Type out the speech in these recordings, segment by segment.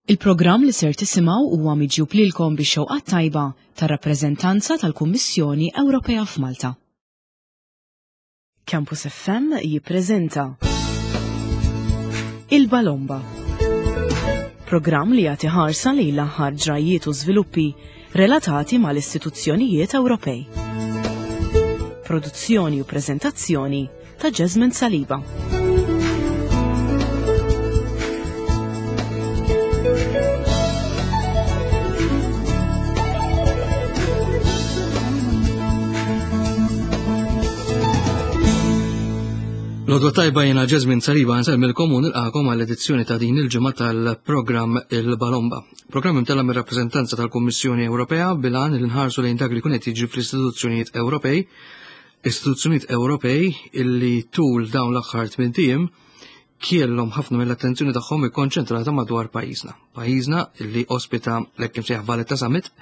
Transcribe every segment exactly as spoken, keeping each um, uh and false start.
Il-programm li ser tisimgħu huwa miġjub lilkom bix-xewqa tajba tar-rappreżentanza tal-Kummissjoni Ewropea f'Malta. Campus F M jippreżenta Il-Balomba. Programm li jagħti ħarsa lejn l-aħħar ġrajiet u żviluppi relatati mal-istituzzjonijiet Ewropej. Produzzjoni u preżentazzjoni ta' Jasmine Saliba. L-għodwa t-tajba, jiena Jasmine Saliba, nsellmilkom u nilqagħkom għall-edizzjoni ta' din il-ġimgħa tal-programm Il-Balomba. Programm imtella' mir-rappreżentanza tal-Kummissjoni Ewropea bil-għan li nħarsu lejn dak li jkun qed jiġri fl-istituzzjonijiet Ewropej, istituzzjonijiet Ewropej illi tul dawn l-aħħar tmien ijiem kellhom ħafna mill-attenzjoni tagħhom ikkonċentrata madwar pajjiżna. Pajjiżna illi ospita l-hekk imsejjaħ Valletta Summit,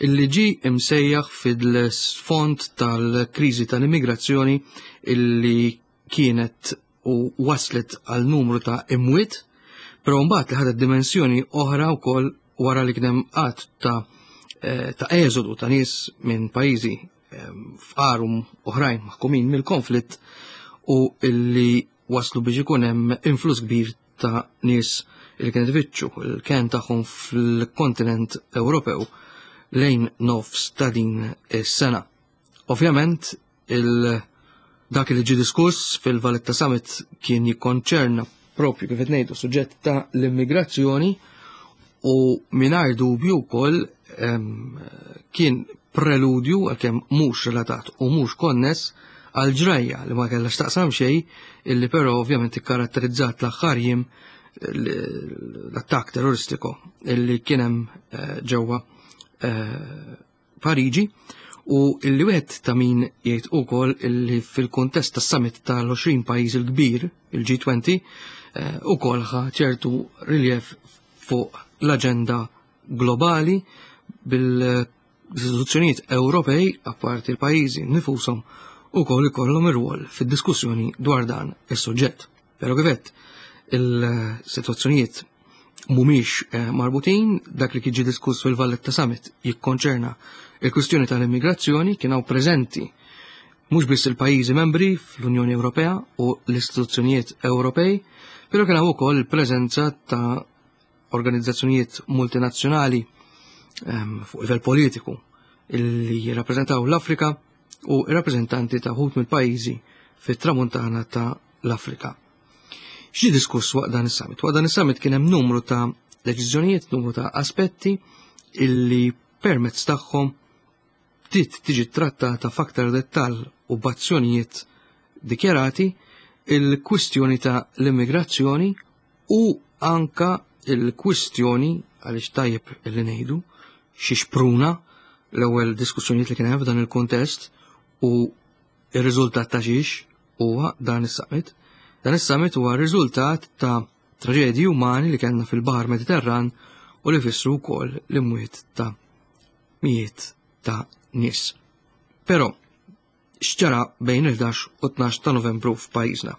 illi ġi imsejjaħ fil-sfond tal-kriżi tal-immigrazzjoni illi kienet u waslet għal numru ta' imwiet, però mbagħad li ħadet dimensjoni oħra wkoll wara li kien hemm għadd ta' eh, ta' eżodu ta' nies minn pajjiżi eh, fqar u oħrajn maħkumin mill-konflitt u illi waslu biex ikun hemm influss kbir ta' nies li kienet ifittxu il-ken tagħhom fil-kontinent Ewropew lejn nofs ta' din is-sena. Ovvjament, il- dak li ġi diskuss fil-Valletta Summit kien jikkonċerna propju, kif qed ngħidu, suġġett ta' l-immigrazzjoni u mingħajr dubju wkoll kien preludju, għalkemm mhux relatat u mhux konness, għal ġrajja li ma kellha x'taqsam xejn, illi però ovvjament ikkaratterizzat l-aħħar jiem, l-attakk terroristiku illi kien hemm eh, ġewwa eh, Pariġi u illi wieħed ta' min jgħid ukoll illi fil-kuntest tas-summit tal-għoxrin pajjiż il-kbir, il-G twenty, eh, ukoll ħa ċertu riljev fuq l-aġenda globali bil-istituzzjonijiet Ewropej, apparti l-pajjiżi nfushom, ukoll ikollhom ir-rwol fid-diskussjoni dwar dan is-suġġett. Però kif għedt, il-sitwazzjonijiet mhumiex eh, marbutin. Dak li kien diskuss fil-Valletta Summit jikkonċerna il-kwistjoni tal-immigrazzjoni. Kien hawn preżenti mhux biss il-pajjiżi membri fl-Unjoni Ewropea u l-istituzzjonijiet Ewropej, però kien hawn ukoll il-preżenza ta' organizzazzjonijiet multinazzjonali ehm, fuq livell politiku illi jirrappreżentaw l-Afrika u rappreżentanti ta' wħud mill-pajjiżi fit-tramuntana ta' l-Afrika. X'ġie diskuss waqt dan is-summit? Waqt dan is-summit kien hemm numru ta' deċiżjonijiet, numru ta' aspetti illi permezz tagħhom bdiet tiġi trattata f'aktar dettall u b'azzjonijiet dikjarati il-kwistjoni ta' l-immigrazzjoni u anka il-kwistjoni, għaliex tajjeb li ngħidu xi xpruna l-ewwel diskussjonijiet li kien hemm f'dan il-kuntest u ir-riżultat ta' xiex huwa dan is-summit. Dan is-summit huwa riżultat ta' traġedji umani li kellna fil-Baħar Mediterran u li fissru wkoll l-imwiet ta' mijiet ta' nies. Però x'ġara bejn il-ħdax u tnax ta' Novembru f'pajjiżna?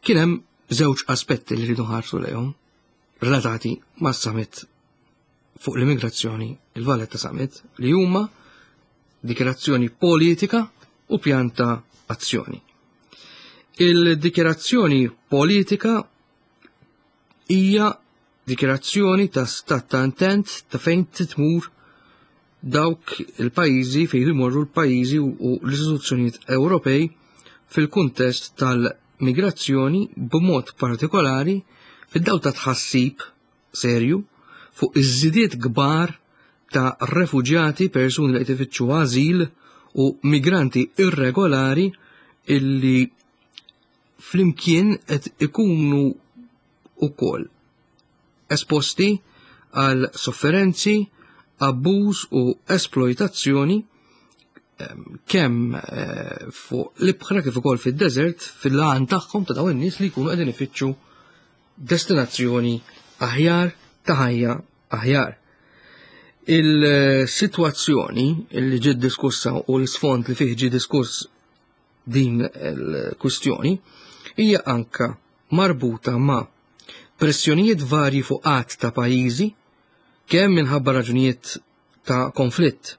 Kien hemm żewġ aspetti li rridu nħarsu lejhom relatati mas-summit fuq l-immigrazzjoni, il-Valletta Summit, li huma dikjarazzjoni politika u pjan ta' azzjoni. Il-dikjarazzjoni politika hija dikjarazzjoni ta' stat ta' intent ta' fejn titmur dawk il-pajjiżi, fejn jmorru l-pajjiżi u l-istituzzjonijiet Ewropej fil-kuntest tal-migrazzjoni, b'mod partikolari fid-dawl ta' tħassib serju fuq iż-żidiet kbar ta' refuġjati, persuni li qed ifittxu ażil u migranti irregolari illi flimkien qed ikunu ukoll esposti għal sofferenzi, abbuż u esploitazzjoni kemm eh, fuq l-ibħra kif ukoll fid-desert, fil-għan tagħhom ta' dawn in-nies li jkunu qegħdin ifittxu destinazzjoni aħjar, ta' ħajja aħjar. Il-sitwazzjoni li ġiet diskussa u l-sfond li fih ġie diskuss din il-kwistjoni hija anka marbuta ma' pressjonijiet varji fuq għadd ta' pajjiżi, kemm minħabba raġunijiet ta' konflitt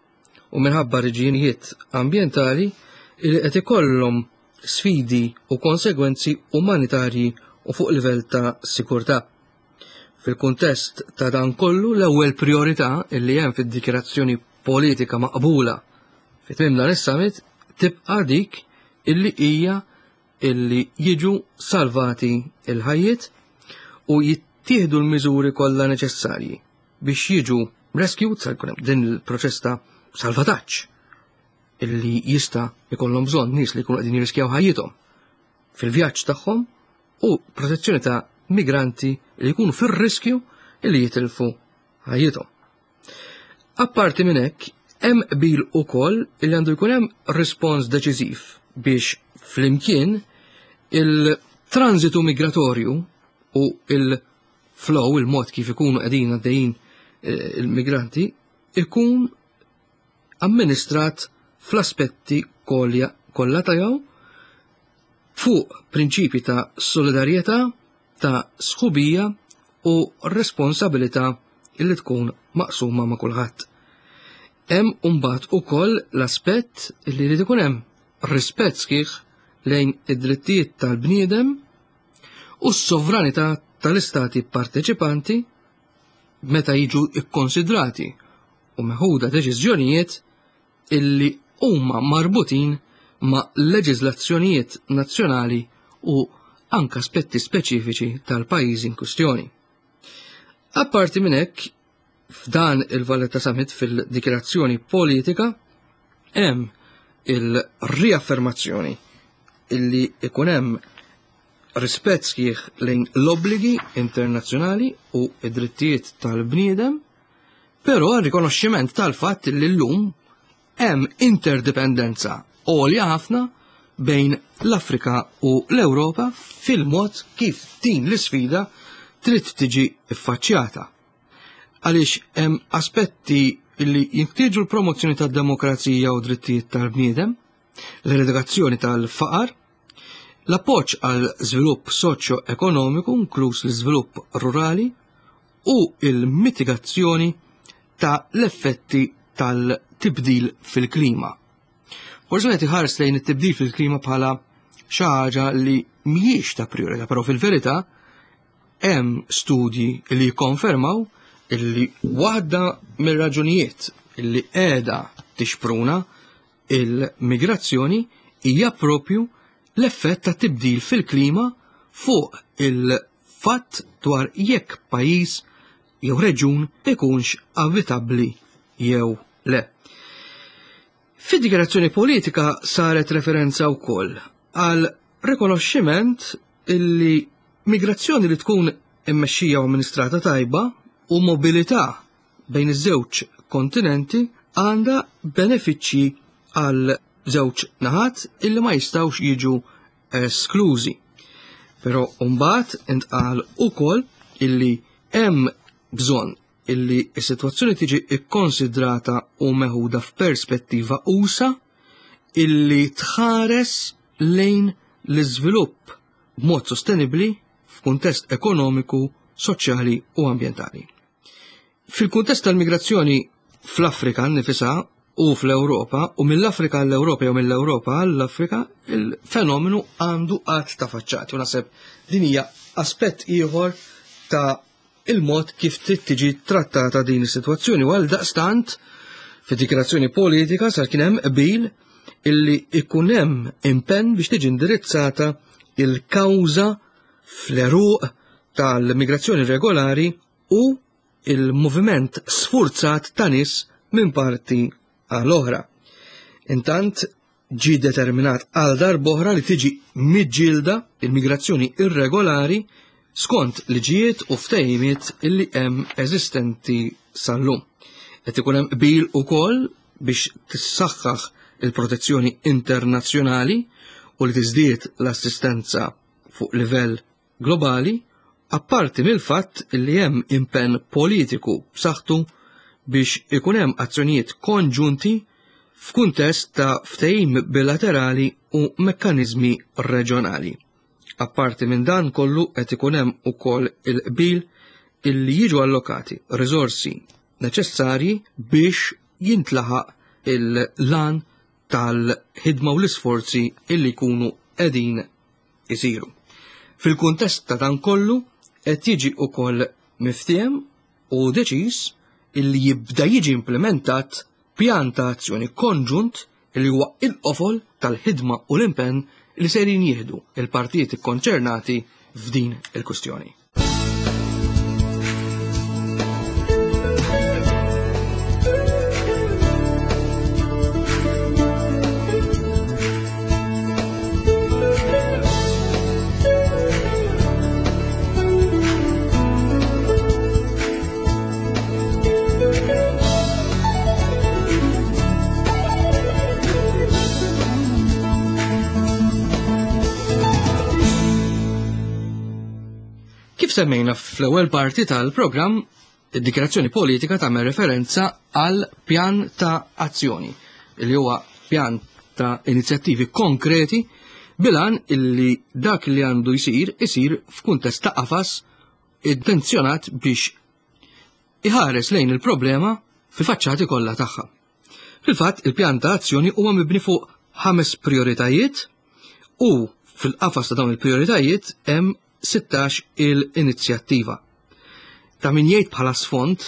u minħabba raġunijiet ambjentali li qed ikollhom sfidi u konsegwenzi umanitarji u fuq livell ta' sikurtà. Fil-kuntest ta' dan kollu, l-ewwel priorità illi hemm fid-dikjarazzjoni politika maqbula fi tmiem dan is-summit tibqa' dik illi hija illi jiġu salvati il-ħajjiet u jittieħdu l-miżuri kollha neċessarji biex jiġu rescued, sa jkun hemm din il-proċess ta' salvataġġ illi jista' jkollhom bżonn nies li jkunu qegħdin jirriskjaw ħajjithom fil-vjaġġ tagħhom u protezzjoni ta' migranti li jkunu fir-riskju illi jitilfu ħajjithom. Apparti minn hekk, hemm qbil ukoll illi għandu jkun hemm rispons deċiżiv biex flimkien il-transitu migratorju u il-flow, il-mod kif ikunu qegħdin għaddejjin eh, il-migranti, ikun amministrat fl-aspetti kollha kollha tiegħu fuq prinċipi ta' solidarjetà, ta' sħubija u responsabilità illi tkun maqsuma ma' kulħadd. Hemm imbagħad ukoll l-aspett illi jrid ikun hemm rispett sħiħ lejn id-drittijiet tal-bniedem u s-sovranità tal-istati parteċipanti meta jiġu ikkonsidrati u meħuda deċiżjonijiet illi huma marbutin ma' leġiżlazzjonijiet nazzjonali u anka aspetti speċifiċi tal-pajjiżi in kwistjoni. Apparti minn hekk, f'dan il-Valletta Summit, fil-dikjarazzjoni politika hemm il-riaffermazzjoni illi ikun hemm rispett sħiħ lejn l-obbligi internazzjonali u id-drittijiet tal-bniedem, però rikonoxximent tal-fatt li llum hemm interdipendenza għolja ħafna bejn l-Afrika u l-Ewropa fil-mod kif din l-isfida trid tiġi ffaċċjata. Għaliex hemm aspetti li jinħtieġu l-promozzjoni tad-demokrazija u drittijiet tal-bniedem, l-eradikazzjoni tal-faqar, l-appoġġ għal żvilupp soċjo-ekonomiku, inkluż l-iżvilupp rurali, u il-mitigazzjoni ta' l-effetti tal-tibdil fil-klima. Forsi qed iħares lejn it-tibdil fil-klima bħala xi ħaġa li mhijiex ta' priorità, però fil-verità hemm studji li jikkonfermaw illi waħda mir-raġunijiet illi qiegħda tixpruna il-migrazzjoni hija propju l-effett ta' tibdil fil-klima fuq il-fatt dwar jekk pajjiż jew reġun ikunx abitabbli jew le. Fid-dikjarazzjoni politika saret referenza wkoll għal rikonoxximent illi migrazzjoni li tkun immexxija u amministrata tajba u mobilità bejn iż-żewġ kontinenti għandha benefiċċji għal żewġ naħat illi ma jistgħux jiġu esklużi. Però mbagħad intqal ukoll illi hemm bżonn illi s-sitwazzjoni tiġi ikkonsidrata u meħuda f'perspettiva usa illi tħares lejn l-iżvilupp b'mod sostenibbli f'kuntest ekonomiku, soċjali u ambjentali. Fil-kuntest tal-migrazzjoni fl-Afrika nifisha u fl-Ewropa u mill-Afrika għall-Ewropa jew mill-Ewropa għall-Afrika, il-fenomenu għandu għadd ta' faċċati u naħseb din hija aspett ieħor ta' il-mod kif trid tiġi trattata din is-sitwazzjoni, u għal daqstant fid-dikjarazzjoni politika sar kien hemm qbil illi ikun hemm impenn biex tiġi indirizzata il-kawża fl-eruq tal-migrazzjoni regolari u il-moviment sfurzat ta' nies minn parti għal oħra. Intant ġi determinat għal darb'oħra li tiġi miġġielda il-migrazzjoni irregolari skont liġijiet u ftehimiet illi hemm eżistenti sal-lum. Qed ikun hemm qbil ukoll biex tissaħħaħ il-protezzjoni internazzjonali u li tiżdied l-assistenza fuq livell globali, apparti mill-fatt li hemm impenn politiku b'saħħtu biex ikun hemm azzjonijiet konġunti f'kuntest ta' ftehim bilaterali u mekkaniżmi reġjonali. Apparti minn dan kollu qed ikun hemm ukoll il-qbil illi jiġu allokati riżorsi neċessarji biex jintlaħaq il-lan tal-ħidma u l-isforzi illi jkunu qegħdin isiru. Fil-kuntest ta' dan kollu qed jiġi ukoll miftiehem u deċiż illi jibda jiġi implementat pjan ta' azzjoni konġunt illi huwa il-qofol tal-ħidma u l-impenn li serin jieħdu il-partijiet ikkonċernati f'din il-kwistjoni. Kif semmejna fl-ewwel parti tal-programm, id-dikjarazzjoni politika tagħmel referenza għal pjan ta' azzjoni, li huwa pjan ta' inizjattivi konkreti bilan illi dak li għandu jsir isir f'kuntest ta' qafas intenzjonat biex iħares lejn il-problema fil-faċċati kollha tagħha. Fil-fatt, il-pjan ta' azzjoni huwa mibni fuq ħames prioritajiet u fil-qafas ta' dawn il-prioritajiet hemm sittax il-inizjattiva. Ta' min jgħid bħala sfond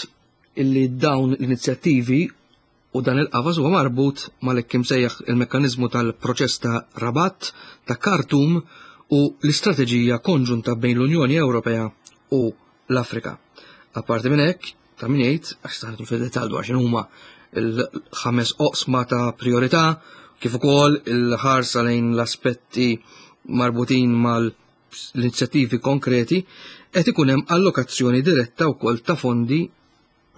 illi dawn l-inizjattivi u dan il-qafas huwa marbut mal-hekk imsejjaħ il-mekkaniżmu tal-proċess ta' Rabat, ta' Khartoum u l-istrateġija konġunta bejn l-Unjoni Ewropea u l-Afrika. Apparti minn hekk, ta' min jgħid, għax saħnetu fil-dettall dwar x'inhuma il-ħames oqsma ta' priorità, kif ukoll il-ħarsa lejn l-aspetti marbutin mal l-inizjattivi konkreti, qed ikun hemm allokazzjoni diretta wkoll ta' fondi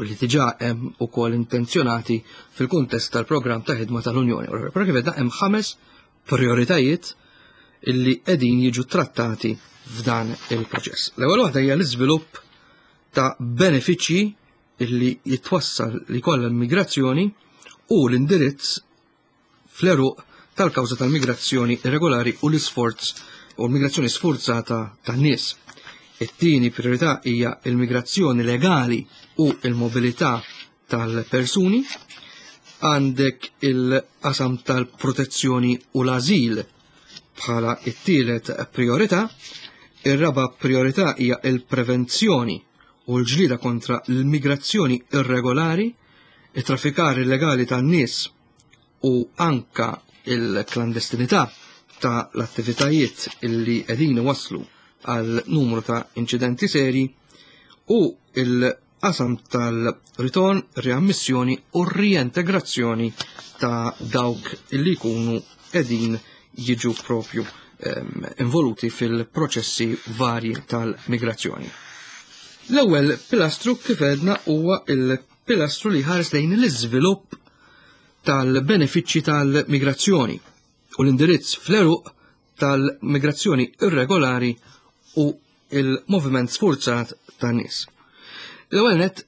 li diġà hemm ukoll intenzjonati fil-kuntest tal-programm ta' ħidma tal-Unjoni Ewropea. Però kif għedna hemm ħames prioritajiet illi qegħdin jiġu trattati f'dan il-proċess. L-ewwel waħda hija l-iżvilupp ta' benefiċċji illi jitwassal li jkollha l-migrazzjoni u l-indirizz fl-eruq tal-kawża tal-migrazzjoni irregolari u l-isforz u l-migrazzjoni sforzata tan-nies. It-tieni priorità hija l-migrazzjoni legali u l-mobilità tal-persuni. Għandek il-qasam tal-protezzjoni u l-azil bħala it-tielet priorità. Ir-raba priorità hija l-prevenzjoni u l-ġlieda kontra l-migrazzjoni irregolari, it-traffikar illegali tan-nies u anka il-klandestinità ta' l-attivitajiet illi qegħdin waslu għal numru ta' inċidenti seri u il-qasam tal-ritorn, riammissjoni u riintegrazzjoni ta' dawk illi jkunu qegħdin jiġu propju ehm, involuti fil-proċessi varji tal-migrazzjoni. L-ewwel pilastru kif għedna huwa il-pilastru li ħares lejn l-iżvilupp tal-benefiċċji tal-migrazzjoni u l-indirizz fl-eruq tal-migrazzjoni irregolari u il-moviment sfurzat tan-nies. L-ewwel nett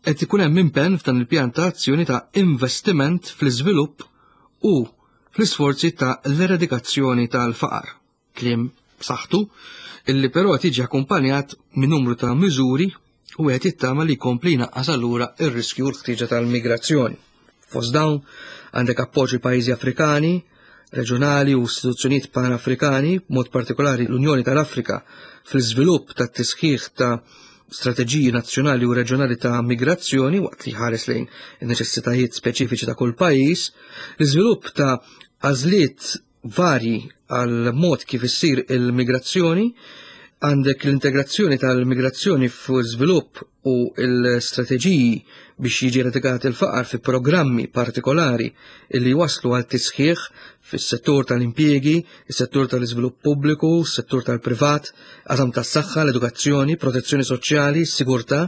qed ikun hemm impenn f'dan il-pjan ta' azzjoni ta' investiment fl-iżvilupp u fl-isforzi ta' l-eradikazzjoni tal-faqar. Kliem b'saħħtu illi però qed jiġi akkumpanjat minn numru ta' miżuri u qed jittama li jkompli jnaqqas allura r-riskju u l-ħtieġa tal-migrazzjoni. Fost dawn għandek appoġġ il-pajjiżi Afrikani, reġjonali u istituzzjonijiet pan-Afrikani, b'mod partikolari l-Unjoni tal-Afrika, fl-iżvilupp tat-tisħiħ ta' strateġiji nazzjonali u reġjonali ta' migrazzjoni waqt li ħares lejn in-neċessitajiet speċifiċi ta' kull pajjiż, l-iżvilupp ta' għażliet varji għal mod kif issir il-migrazzjoni, għandek l-integrazzjoni tal-migrazzjoni fuq żvilupp u l-strateġiji biex jiġi eradikat il-faqar fi programmi partikolari li waslu għal tisħiħ fis-settur tal-impjiegi, is-settur tal-iżvilupp pubbliku, is-settur tal-privat, qasam tas-saħħa, l-edukazzjoni, protezzjoni soċjali, sigurtà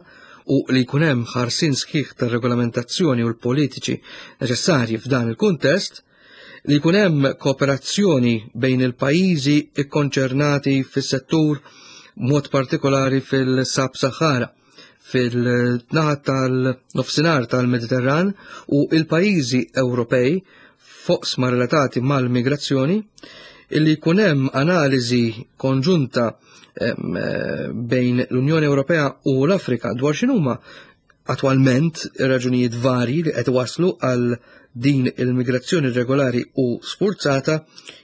u li jkun hemm ħarsien sħiħ tar-regolamentazzjoni u l-politiċi neċessarji f'dan il-kuntest, li jkun hemm kooperazzjoni bejn il-pajjiżi ikkonċernati fis-settur mod partikolari fil-Sab-Sahara, fil-naħa tal-nofsinhar tal-Mediterran u il-pajjiżi Ewropej foqsma relatati mal-migrazzjoni, Illi jkun hemm analiżi konġunta bejn l-Unjoni Ewropea u l-Afrika dwar x'inhuma attwalment raġunijiet varji li qed waslu għal din il-migrazzjoni regolari u sforzata,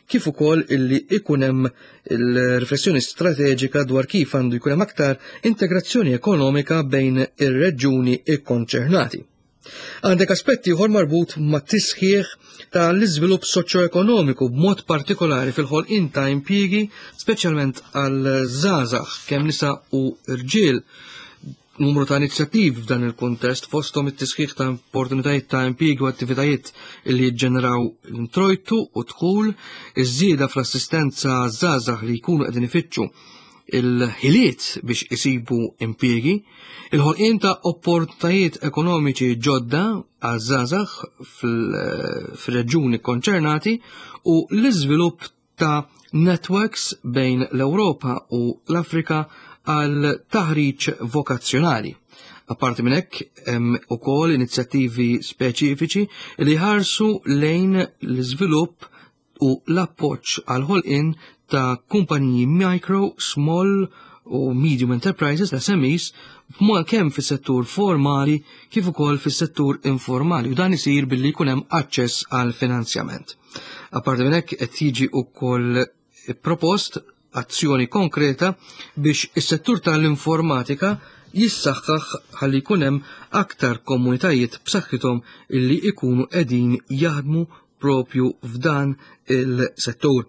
kif ukoll illi ikun hemm il-riflessjoni strateġika dwar kif għandu jkun hemm aktar integrazzjoni ekonomika bejn ir-reġjuni ikkonċernati. Għandek aspetti ieħor marbut ma' tisħiħ ta' l-iżvilupp soċjoekonomiku, b'mod partikolari fil-ħolqien ta' impjiegi, speċjalment għal żgħażagħ, kemm nisa u rġiel. Numru ta' inizjattivi f'dan il-kuntest, fosthom it-tisħiħ ta' opportunitajiet ta' impjiegi u attivitajiet li jiġġeneraw l-introjtu u dħul, iż-żieda fl-assistenza żgħażagħ li jkunu qegħdin ifittxu il-ħiliet biex isibu impjiegi, il-ħolqien ta' opportunitajiet ekonomiċi ġodda għaż-żgħażagħ fil-reġjuni konċernati u l-iżvilupp ta' networks bejn l-Ewropa u l-Afrika għal taħriġ vokazzjonali. Apparti minn hekk, hemm ukoll inizjattivi speċifiċi li ħarsu lejn l-iżvilupp u l-appoġġ għal ħolqien ta' kumpaniji micro, small u medium enterprises, S M Es, b'mod kemm fis-settur formali kif ukoll fis-settur informali, u dan isir billi jkun hemm aċċess għal finanzjament. Apparti minn hekk, qed jiġi wkoll propost azzjoni konkreta biex is-settur tal-informatika jissaħħaħ ħalli jkun hemm aktar komunitajiet b'saħħithom illi ikunu qegħdin jaħdmu propju f'dan il-settur.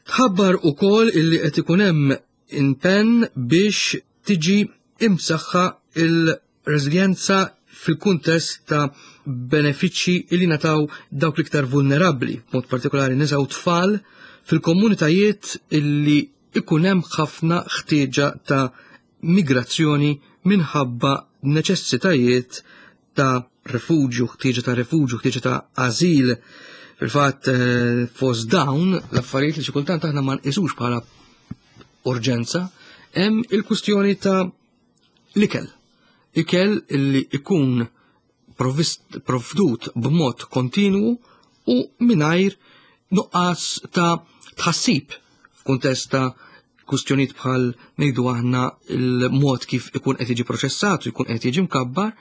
Tħabbar ukoll illi qed ikun hemm impenn biex tiġi imsaħħa il-reżiljenza fil-kuntest ta' benefiċċji illi nataw dawk l-iktar vulnerabbli, mod partikolari nisa u tfal, fil-komunitajiet illi ikun hemm ħafna ħtieġa ta' migrazzjoni minħabba neċessitajiet ta' refuġju, ħtieġa ta' refuġju, ħtieġa ta' azil. Fil-fatt, eh, fost dawn l-affarijiet li xi kultant aħna ma nqisux bħala urġenza, hemm il-kwistjoni ta' l-ikel. Ikel illi ikun provdut b'mod kontinwu u mingħajr nuqqas ta' tħassib f'kuntest ta' kwistjonijiet bħal, ngħidu aħna, il-mod kif ikun qed jiġi proċessat u jkun qed jiġi mkabbar,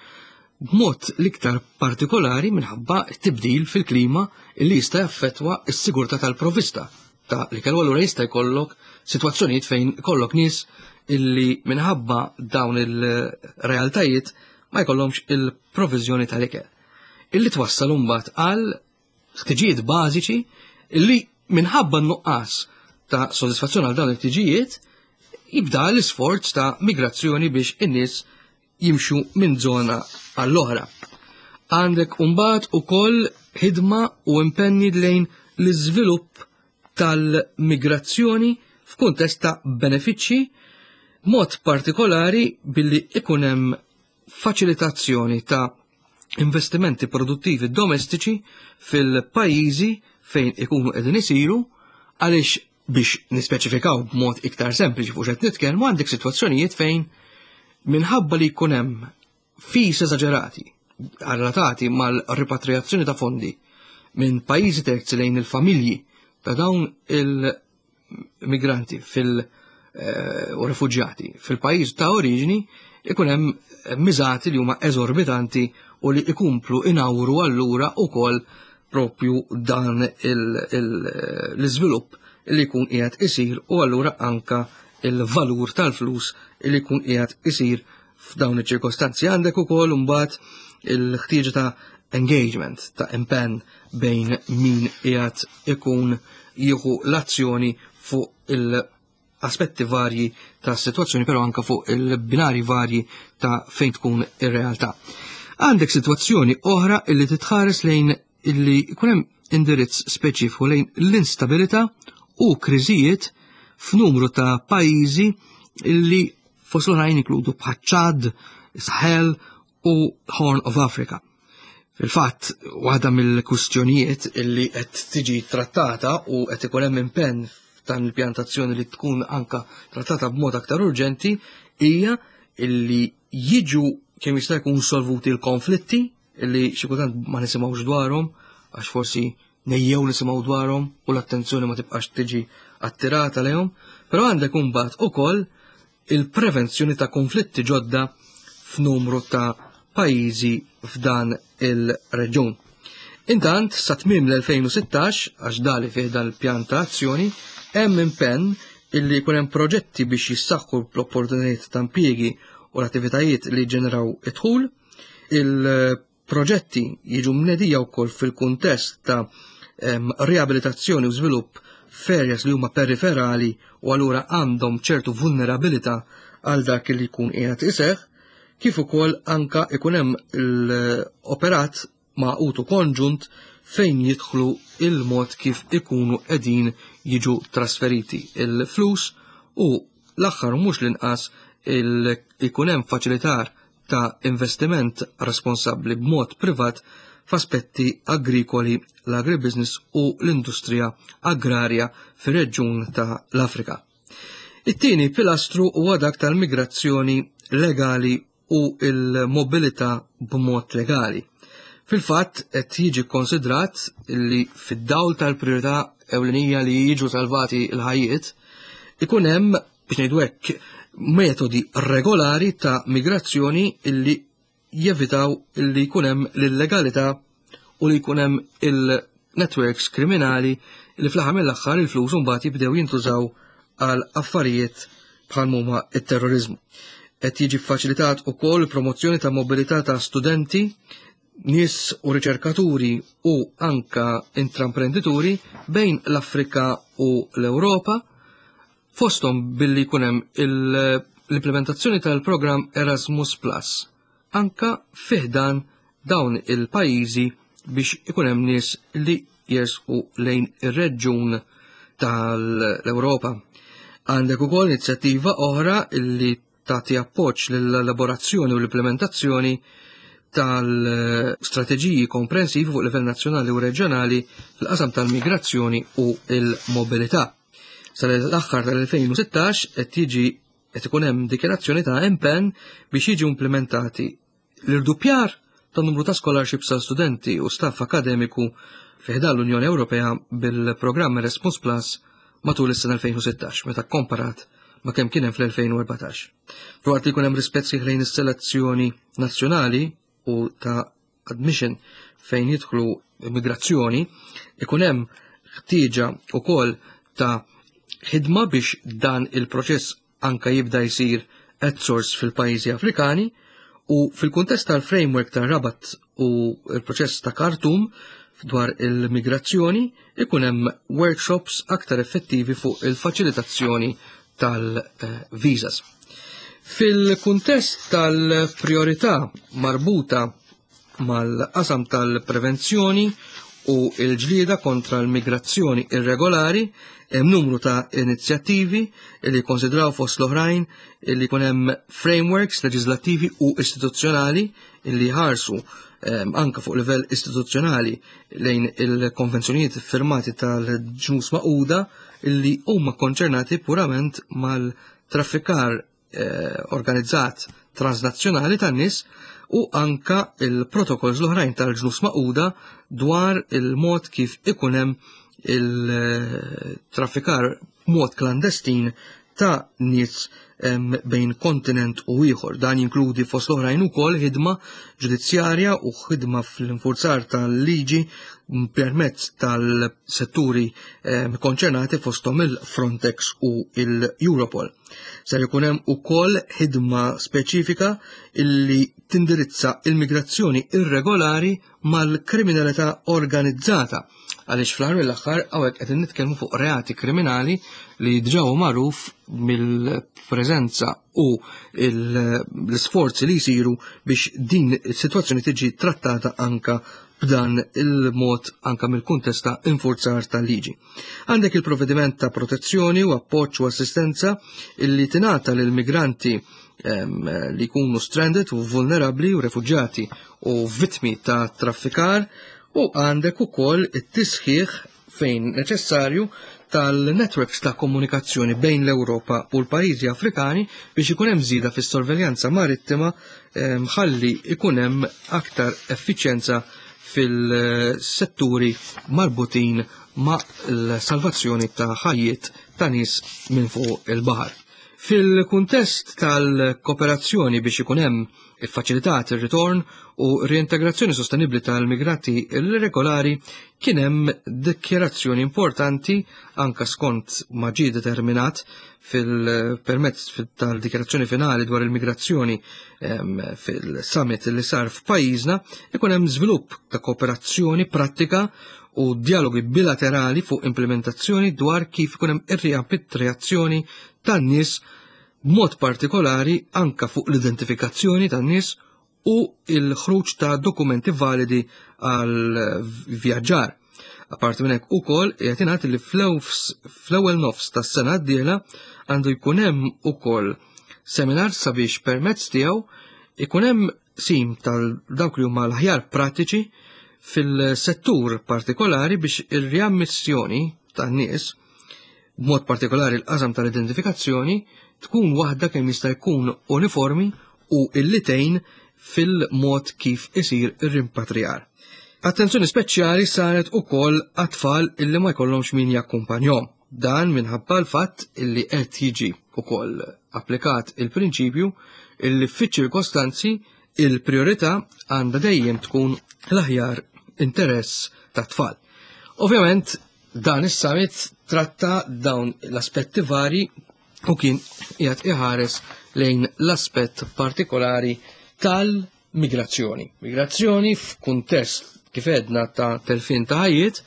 b'mod l-iktar partikolari minħabba tibdil fil-klima li jista' jaffettwa s-sigurtà tal-provista ta' li kellu. Allura jista' jkollok sitwazzjonijiet fejn kollok nies illi minħabba dawn il-realtajiet ma jkollhomx il-provviżjoni tal-ikel. Illi twassal imbagħad għal ħtiġijiet bażiċi illi minħabba n-nuqqas ta' sodisfazzjon għal dawn il-ħtiġijiet jibda l-isforz ta' migrazzjoni biex in-nies jimxu minn żona għall-oħra. Għandek imbagħad ukoll ħidma u impenni lejn l-iżvilupp tal-migrazzjoni f'kuntest ta' benefiċċji, mod partikolari billi ikun hemm faċilitazzjoni ta' investimenti produttivi domestiċi fil-pajjiżi fejn ikunu qegħdin isiru, għaliex, biex nispeċifikaw b'mod iktar sempliċi fuq x'qed nitkellmu, għandek sitwazzjonijiet fejn minħabba li jkun hemm fees eżaġerati relatati mal-ripatriazzjoni ta' fondi minn pajjiżi terzi lejn il-familji ta' dawn il-migranti fil- eh, u refuġjati fil-pajjiż ta' oriġini, ikun hemm miżati li huma eżorbitanti u li ikomplu inawru allura ukoll propju dan l-iżvilupp li jkun qiegħed isir u allura anka il-valur tal-flus li jkun qiegħed isir f'dawn iċ-ċirkostanzi. Għandek ukoll imbagħad il-ħtieġa ta' engagement, ta' impenn bejn min qiegħed ikun jieħu l-azzjoni fuq il-aspetti varji ta' situazzjoni, però anka fuq il-binari varji ta' fejn tkun ir-realtà. Għandek situazzjoni oħra illi titħares lejn illi jkun hemm indirizz speċifiku lejn l-instabilità u kriżijiet f'numru ta' pajjiżi illi fost l-oħrajn inkludu bħaċ-Ċad, Sahel u Horn of Africa. Fil-fatt, waħda mill-kwistjonijiet illi qed tiġi trattata u qed ikun hemm impenn f'dan il-pjantazzjoni li tkun anka trattata b'mod aktar urġenti hija illi jiġu kemm jista' jkun solvuti l-konflitti illi xi kultant ma nisimgħux dwarhom għax forsi Nejjew nisimgħu dwarhom u l-attenzjoni ma tibqax tiġi attirata lejhom, però għandek imbagħad ukoll il-prevenzjoni ta' konflitti ġodda f'numru ta' pajjiżi f'dan il-reġjun. Intant, sa tmiem l-elfejn u sittax, għax dali fih dal-pjan ta' azzjoni, hemm impenn illi jkun hemm proġetti biex jissaħħu l-opportunitajiet ta' impjiegi u l-attivitajiet li ġeneraw id-dħul. Il-proġetti jiġu mnedija wkoll fil-kuntest ta' em, riabilitazzjoni u żvilupp f'areas li huma periferali u allura għandhom ċertu vulnerabilità għal dak li jkun qiegħed iseħħ, kif ukoll anka ikun hemm l-operat magħqud u konġunt fejn jidħlu il-mod kif ikunu qegħdin jiġu trasferiti il-flus u l-aħħar mhux l-inqas ikun hemm faċilitar ta' investiment responsabbli b'mod privat f'aspetti agrikoli, l-agribusiness u l-industrija agrarja fir-reġjun ta' l-Afrika. It-tieni pilastru huwa dak tal-migrazzjoni legali u l-mobilità b'mod legali. Fil-fatt qed jiġi konsidrat li fid-dawl tal-priorità ewlenija li jiġu salvati l-ħajjiet, ikun hemm, biex ngħidu hekk, metodi regolari ta' migrazzjoni illi jevitaw illi jkun hemm l-illegalità u li jkun hemm il-networks kriminali li fl-aħħar mill-aħħar il-flus mbagħad jibdew jintużaw għal affarijiet bħal huma t-terrorizmu. Qed jiġi faċilitat ukoll promozzjoni ta' mobilità ta' studenti, nies u riċerkaturi u anka intraprendituri bejn l-Afrika u l-Ewropa, fosthom billi jkun hemm l-implementazzjoni tal-programm Erasmus Plus, anka fiħdan dawn il-pajjiżi biex ikun hemm nies li jersqu lejn ir-reġjun tal-Ewropa. Għandek ukoll inizjattiva oħra illi tagħti appoġġ lill-elaborazzjoni u l-implementazzjoni tal-strateġiji komprensivi fuq livell nazzjonali u reġjonali fil-qasam tal-migrazzjoni u l-mobilità. Sal-aħħar tal-elfejn u sittax qed jiġi qed ikun hemm dikjarazzjoni ta' impenn biex jiġu implementati l-irduppjar ta' numru ta' scholarships għal studenti u staff akademiku fi ħdan l-Unjoni Ewropea bil-programm Erasmus Plus matul is-sena elfejn u sittax meta komparat ma' kemm kien hemm fl-elfejn u erbatax. Filwaqt li jkun hemm rispett sħiħ lejn is-selezzjoni nazzjonali u ta' admission fejn jidħlu immigrazzjoni, ikun hemm ħtieġa wkoll ta' ħidma biex dan il-proċess anka jibda jsir at source fil-pajjiżi Afrikani u fil-kuntest tal-framework ta' Rabat u l-proċess ta' Khartoum dwar il-migrazzjoni ikun hemm workshops aktar effettivi fuq il-faċilitazzjoni tal-visas. Fil-kuntest tal-priorità marbuta mal-qasam tal-prevenzjoni u l-ġlieda kontra l-migrazzjoni irregolari, hemm numru ta' inizjattivi li jikkonsidraw fost l-oħrajn li jkun hemm frameworks leġislattivi u istituzzjonali li jħarsu, ehm, anka fuq livell istituzzjonali lejn il-konvenzjonijiet firmati tal-Ġnus Magħquda li huma konċernati purament mal-traffikar, eh, organizzat transnazzjonali tan-nies u anka il-protokolls l-oħrajn tal-Ġnus Magħquda dwar il-mod kif ikun hemm il-traffikar mod klandestin ta' nies, em, bejn kontinent u ieħor. Dan jinkludi fost l-oħrajn ukoll ħidma ġudizzjarja u ħidma fl-infurzar tal-liġi permezz tal-setturi, em, konċernati fosthom il-Frontex u il-Europol. Ser ikun hemm ukoll ħidma speċifika illi tindirizza il-migrazzjoni irregolari mal-kriminalità organizzata, għaliex fl-aħħar mill-aħħar hawnhekk qed nitkellmu fuq reati kriminali li diġà hu magħruf mill-preżenza u il-, l-isforzi li jsiru biex din is-sitwazzjoni tiġi trattata anka b'dan il-mod anka mill-kuntest ta' infurzar tal-liġi. Għandek il-provvediment ta' protezzjoni u appoġġ u assistenza illi tingħata lil migranti, ehm, li jkunu stranded u vulnerabbli u refuġjati u vittmi ta' traffikar, u għandek ukoll it-tisħiħ fejn neċessarju tal-networks ta' komunikazzjoni bejn l-Ewropa u l-pajjiżi Afrikani biex ikun hemm żieda fis-sorveljanza marittima, ehm, ħalli ikun hemm aktar effiċjenza fil-setturi marbutin ma' l-salvazzjoni ta' ħajjiet ta' nies minn fuq il-baħar. Fil-kuntest tal-kooperazzjoni biex ikun hemm iffaċilitat ir-ritorn u reintegrazzjoni sostenibbli tal-migranti irregolari kien hemm dikjarazzjoni importanti anka skont ma ġie determinat fil-permezz tal-dikjarazzjoni finali dwar il-migrazzjoni fil-summit li sar f'pajjiżna ikun hemm żvilupp ta' kooperazzjoni prattika u dialogi bilaterali fuq implementazzjoni dwar kif ikun hemm ir-riazzjoni tan-nies b'mod partikolari anka fuq l-identifikazzjoni tan-nies u il-ħruġ ta' dokumenti validi għal vjaġġar. Apparti minn hekk ukoll qed ingħad li fl-ewwel nofs tas-sena d-dieħla għandu jkun hemm ukoll seminar sabiex permezz tiegħu ikun hemm sim tal dawk li huma l-aħjar prattiċi fil-settur partikolari biex ir-riammissjoni tan-nies b'mod partikolari l-qasam tal-identifikazzjoni tkun waħda kemm jista' jkun uniformi u illitejn fil-mod kif isir ir-rimpatrijar. Attenzjoni speċjali saret ukoll għat-tfal illi ma jkollhomx min jakkumpanjhom. Dan minħabba l-fatt illi qed jiġi ukoll applikat il-prinċipju illi fiċ-ċirkostanzi il-priorità għandha dejjem tkun l-aħjar interess tat-tfal. Ovvjament dan is-summit tratta dawn l-aspetti vari u kien qiegħed iħares lejn l-aspett partikolari tal-migrazzjoni. Migrazzjoni f'kuntest kif edna ta' telfin ta' ħajjiet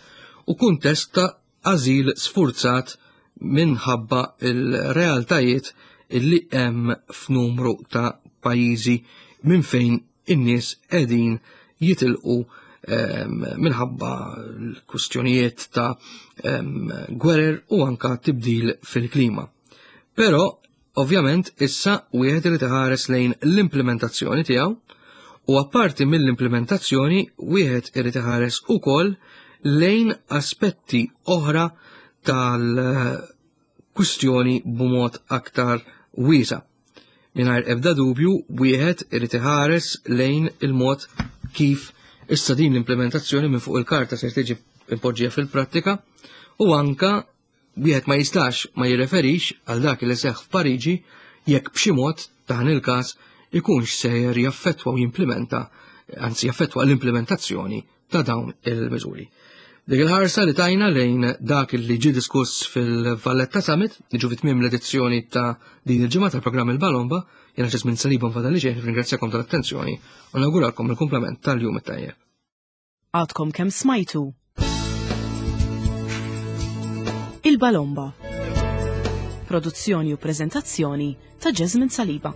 u kuntest ta' ażil sfurzat minħabba il-realtajiet illi hemm f'numru ta' pajjiżi minn fejn in-nies qegħdin jitilqu minħabba l-kustjonijiet ta' gwerer u anka tibdil fil-klima. Però, ovvjament, issa wieħed irid iħares lejn l-implementazzjoni tiegħu u apparti mill-implementazzjoni wieħed irid iħares ukoll lejn aspetti oħra tal-kwistjoni b'mod aktar wiesa'. Mingħajr ebda dubju wieħed irid iħares lejn il-mod kif issa din l-implementazzjoni minn fuq il-karta se tiġi impoġġija fil-prattika u anka wieħed ma jistax ma jirreferix għal dak li seħħ f'Pariġi jekk b'xi mod dan il-każ ikunx sejjer jaffettwa u jimplementa, anzi jaffettwa l-implementazzjoni ta' dawn il-miżuri. Dik il-ħarsa li tajna lejn dak li ġie diskuss fil-Valletta Summit, niġu fi tmiem l-edizzjoni ta' din il-ġimgħa tal-programm Il-Balomba, jiena Ġesmin Saliba nfadal li ġej, ringrazzjakom tal-attenzjoni u nawguralkom il-kumplament tal-jum it-tajjeb. Għadkom kemm smajtu Il-Balomba. Produzzjoni u preżentazzjoni ta' Jasmine Saliba.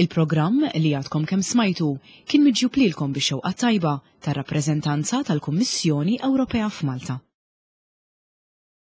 Il-programm li għadkom kemm smajtu kien miġjub lilkom bix-xewqa tajba tar-rappreżentanza tal-Kummissjoni Ewropea f'Malta.